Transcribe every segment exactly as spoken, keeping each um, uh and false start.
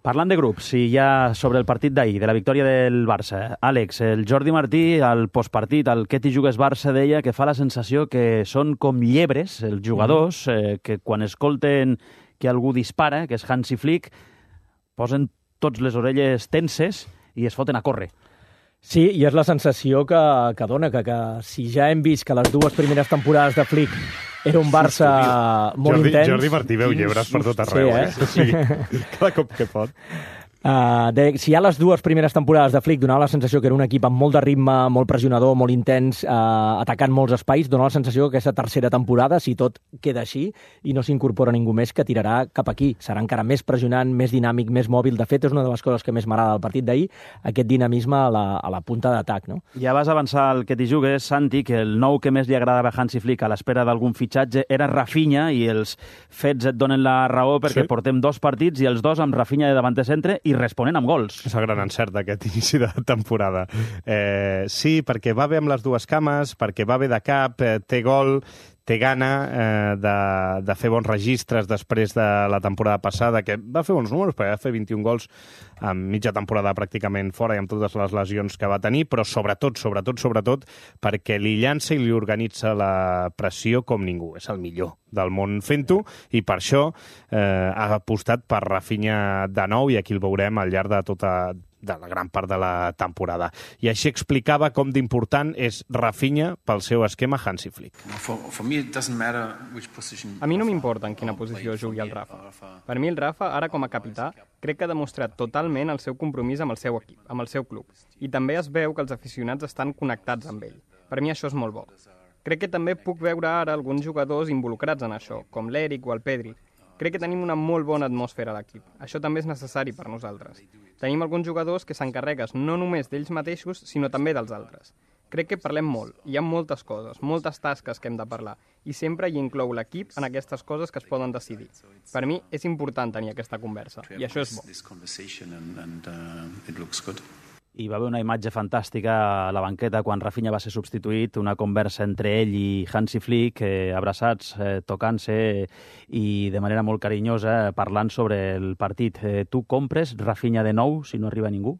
Parlant de grups, i ja sobre el partit d'ahir, de la victòria del Barça, Àlex, el Jordi Martí, al postpartit, al Què t'hi jugues Barça, deia que fa la sensació que són com llebres, els jugadors, eh, que quan escolten que algú dispara, que és Hansi Flick, posen tots les orelles tenses i es foten a córrer. Sí, i és la sensació que, que dona, que, que si ja hem vist que les dues primeres temporades de Flick era un Barça sí, molt Jordi, intens... Jordi Martí veu llebres per tot arreu, sí, eh? eh? Sí, cada cop que pot. Uh, de, si ja les dues primeres temporades de Flick donava la sensació que era un equip amb molt de ritme, molt pressionador, molt intens, uh, atacant molts espais, dona la sensació que aquesta tercera temporada, si tot queda així i no s'incorpora ningú més, que tirarà cap aquí. Serà encara més pressionant, més dinàmic, més mòbil. De fet, és una de les coses que més m'agrada del partit d'ahir, aquest dinamisme a la, a la punta d'atac, no? Ja vas avançar el que t'hi jugues, Santi, que el nou que més li agradava a Hansi Flick a l'espera d'algun fitxatge era Rafinha, i els fets et donen la raó perquè sí. Portem dos partits i els dos amb Rafinha de davant de centre i responent amb gols. És el gran encert d'aquest inici de temporada. Eh, sí, perquè va bé amb les dues cames, perquè va bé de cap, eh, té gol, té gana eh, de, de fer bons registres després de la temporada passada, que va fer bons números, perquè va fer vint-i-un gols en mitja temporada pràcticament fora i amb totes les lesions que va tenir, però sobretot, sobretot, sobretot, perquè li llança i li organitza la pressió com ningú. És el millor del món fent-ho, i per això eh, ha apostat per Rafinha de nou, i aquí el veurem al llarg de tota de la gran part de la temporada. I així explicava com d'important és Rafinha pel seu esquema Hansi Flick. A mi no m'importa en quina posició jugui el Rafa. Per mi el Rafa, ara com a capità, crec que ha demostrat totalment el seu compromís amb el seu equip, amb el seu club. I també es veu que els aficionats estan connectats amb ell. Per mi això és molt bo. Crec que també puc veure ara alguns jugadors involucrats en això, com l'Eric o el Pedri. Crec que tenim una molt bona atmosfera a l'equip. Això també és necessari per nosaltres. Tenim alguns jugadors que s'encarreguen no només d'ells mateixos, sinó també dels altres. Crec que parlem molt, hi ha moltes coses, moltes tasques que hem de parlar, i sempre hi inclou l'equip en aquestes coses que es poden decidir. Per mi és important tenir aquesta conversa, i això és bo. I va haver una imatge fantàstica a la banqueta quan Rafinha va ser substituït, una conversa entre ell i Hansi Flick, eh, abraçats, eh, tocant-se i de manera molt carinyosa parlant sobre el partit. Eh, tu compres Rafinha de nou si no arriba ningú?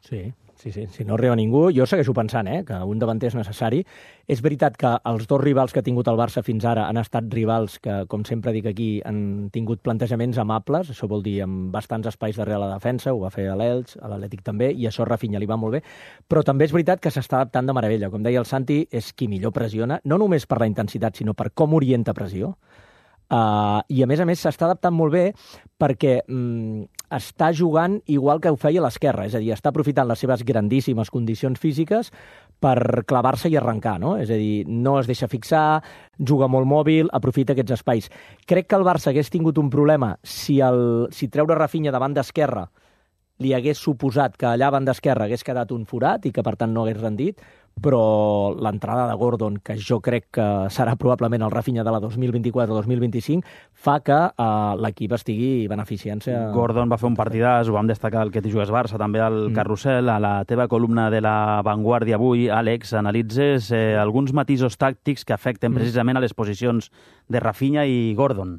Sí. Sí, sí, si no arriba ningú, jo segueixo pensant eh, que un davanter és necessari. És veritat que els dos rivals que ha tingut el Barça fins ara han estat rivals que, com sempre dic aquí, han tingut plantejaments amables, això vol dir amb bastants espais darrere la defensa, ho va fer a l'Elx, a l'Atlètic també, i això a Rafinha li va molt bé, però també és veritat que s'està adaptant de meravella. Com deia el Santi, és qui millor pressiona, no només per la intensitat, sinó per com orienta pressió. Uh, I a més a més s'està adaptant molt bé perquè mm, està jugant igual que ho feia a l'esquerra, és a dir, està aprofitant les seves grandíssimes condicions físiques per clavar-se i arrencar, no? És a dir, no es deixa fixar, juga molt mòbil, aprofita aquests espais. Crec que el Barça hagués tingut un problema si, el, si treure Rafinha davant d'esquerra li hagués suposat que allà davant d'esquerra hagués quedat un forat i que per tant no hagués rendit, però l'entrada de Gordon, que jo crec que serà probablement el Rafinha de la dos mil vint-i-quatre dos mil vint-i-cinc, fa que uh, l'equip estigui beneficiant-se. Gordon va fer un partidàs, ho vam destacar al Que t'hi jugues Barça, també al mm. Carrusel, a la teva columna de La Vanguardia avui, Àlex, analitzes eh, alguns matisos tàctics que afecten mm. precisament a les posicions de Rafinha i Gordon.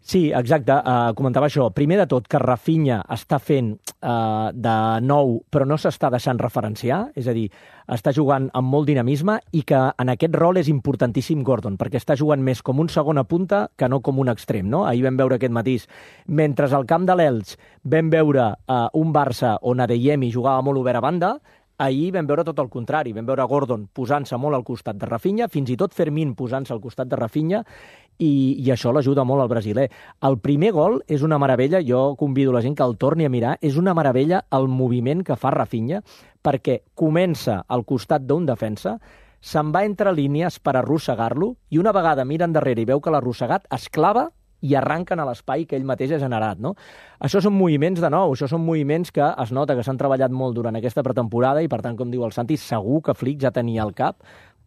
Sí, exacte, uh, comentava això. Primer de tot, que Rafinha està fent uh, de nou, però no s'està deixant referenciar, és a dir, està jugant amb molt dinamisme i que en aquest rol és importantíssim Gordon, perquè està jugant més com un segona punta que no com un extrem, no? Ahir vam veure aquest matís. Mentre al camp de l'Elx vam veure uh, un Barça on Adeyemi jugava molt obert a banda, ahir vam veure tot el contrari, vam veure Gordon posant-se molt al costat de Rafinha, fins i tot Fermín posant-se al costat de Rafinha, i, i això l'ajuda molt al brasiler. El primer gol és una meravella, jo convido la gent que el torni a mirar, és una meravella el moviment que fa Rafinha, perquè comença al costat d'un defensa, se'n va entre línies per arrossegar-lo, i una vegada mira endarrere i veu que l'ha arrossegat, es clava i arranquen a l'espai que ell mateix ha generat, no? Això són moviments de nou, això són moviments que es nota que s'han treballat molt durant aquesta pretemporada i, per tant, com diu el Santi, segur que Flick ja tenia al cap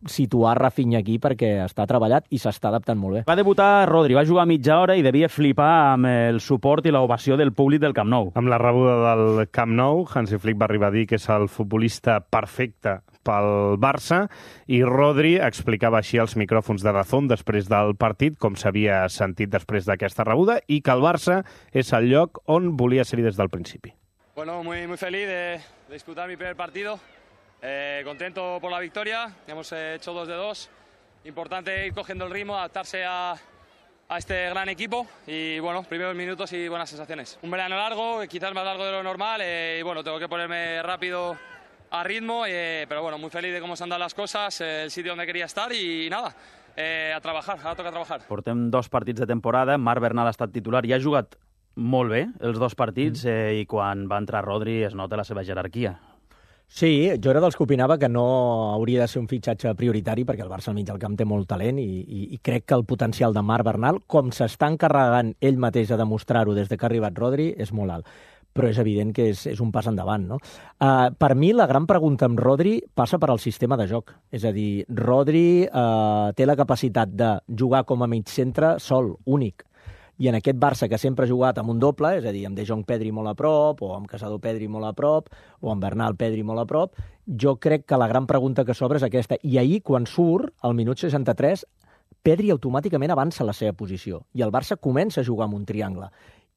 situar Rafinha aquí perquè està treballat i s'està adaptant molt bé. Va debutar Rodri, va jugar mitja hora i devia flipar amb el suport i l'ovació del públic del Camp Nou. Amb la rebuda del Camp Nou, Hansi Flick va arribar a dir que és el futbolista perfecte pel Barça, i Rodri explicava així als micròfons de Dazón després del partit com s'havia sentit després d'aquesta rebuda i que el Barça és el lloc on volia ser-hi des del principi. Bueno, muy, muy feliz de, de disputar mi primer partido, eh, contento por la victoria, hemos hecho dos de dos, importante ir cogiendo el ritmo, adaptarse a, a este gran equipo y bueno, primeros minutos y buenas sensaciones. Un verano largo, quizás más largo de lo normal eh, y bueno, tengo que ponerme rápido a ritmo, eh, pero bueno, muy feliz de cómo se han dado las cosas, eh, el sitio donde quería estar y nada, eh, a trabajar, ahora toca trabajar. Portem dos partits de temporada, Marc Bernal ha estat titular i ha jugat molt bé els dos partits eh, i quan va entrar Rodri es nota la seva jerarquia. Sí, jo era dels que opinava que no hauria de ser un fitxatge prioritari perquè el Barça al mig del camp té molt talent i, i, i crec que el potencial de Marc Bernal, com s'està encarregant ell mateix a demostrar-ho des de que ha arribat Rodri, és molt alt. Però és evident que és, és un pas endavant, no? Uh, per mi, la gran pregunta amb Rodri passa per al sistema de joc. És a dir, Rodri uh, té la capacitat de jugar com a mig centre sol, únic. I en aquest Barça, que sempre ha jugat amb un doble, és a dir, amb De Jong Pedri molt a prop, o amb Casado Pedri molt a prop, o amb Bernal Pedri molt a prop, jo crec que la gran pregunta que s'obre és aquesta. I ahir, quan surt, al minut seixanta-tres, Pedri automàticament avança la seva posició, i el Barça comença a jugar amb un triangle.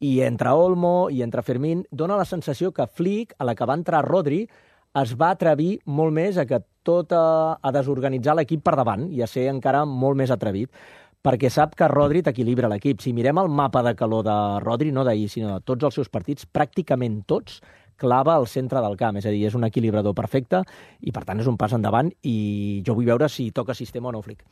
I entre Olmo i entre Fermín dona la sensació que Flick, a la que va entrar Rodri, es va atrevir molt més a que tot a, a desorganitzar l'equip per davant i a ser encara molt més atrevit, perquè sap que Rodri t'equilibra l'equip. Si mirem el mapa de calor de Rodri, no d'ahir, sinó de tots els seus partits, pràcticament tots clava al centre del camp, és a dir, és un equilibrador perfecte i, per tant, és un pas endavant i jo vull veure si toca sistema o no Flick.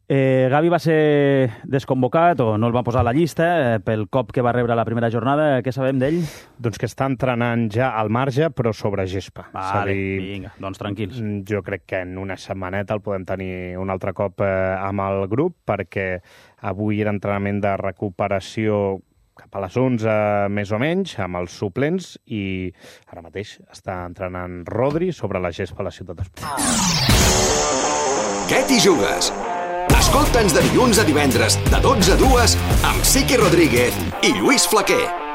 Eh, Gavi va ser desconvocat o no el va posar a la llista eh, pel cop que va rebre a la primera jornada. Què sabem d'ell? Doncs que està entrenant ja al marge, però sobre gespa. Vale, dir, vinga, doncs tranquils. Jo crec que en una setmaneta el podem tenir un altre cop eh, amb el grup, perquè avui era entrenament de recuperació cap a les onze, més o menys, amb els suplents, i ara mateix està entrenant Rodri sobre la gespa a la ciutat d'Espanya. Què t'hi jugues? Escolta'ns de dilluns a divendres, de dotze a dues, amb Sique Rodríguez i Lluís Flaquer.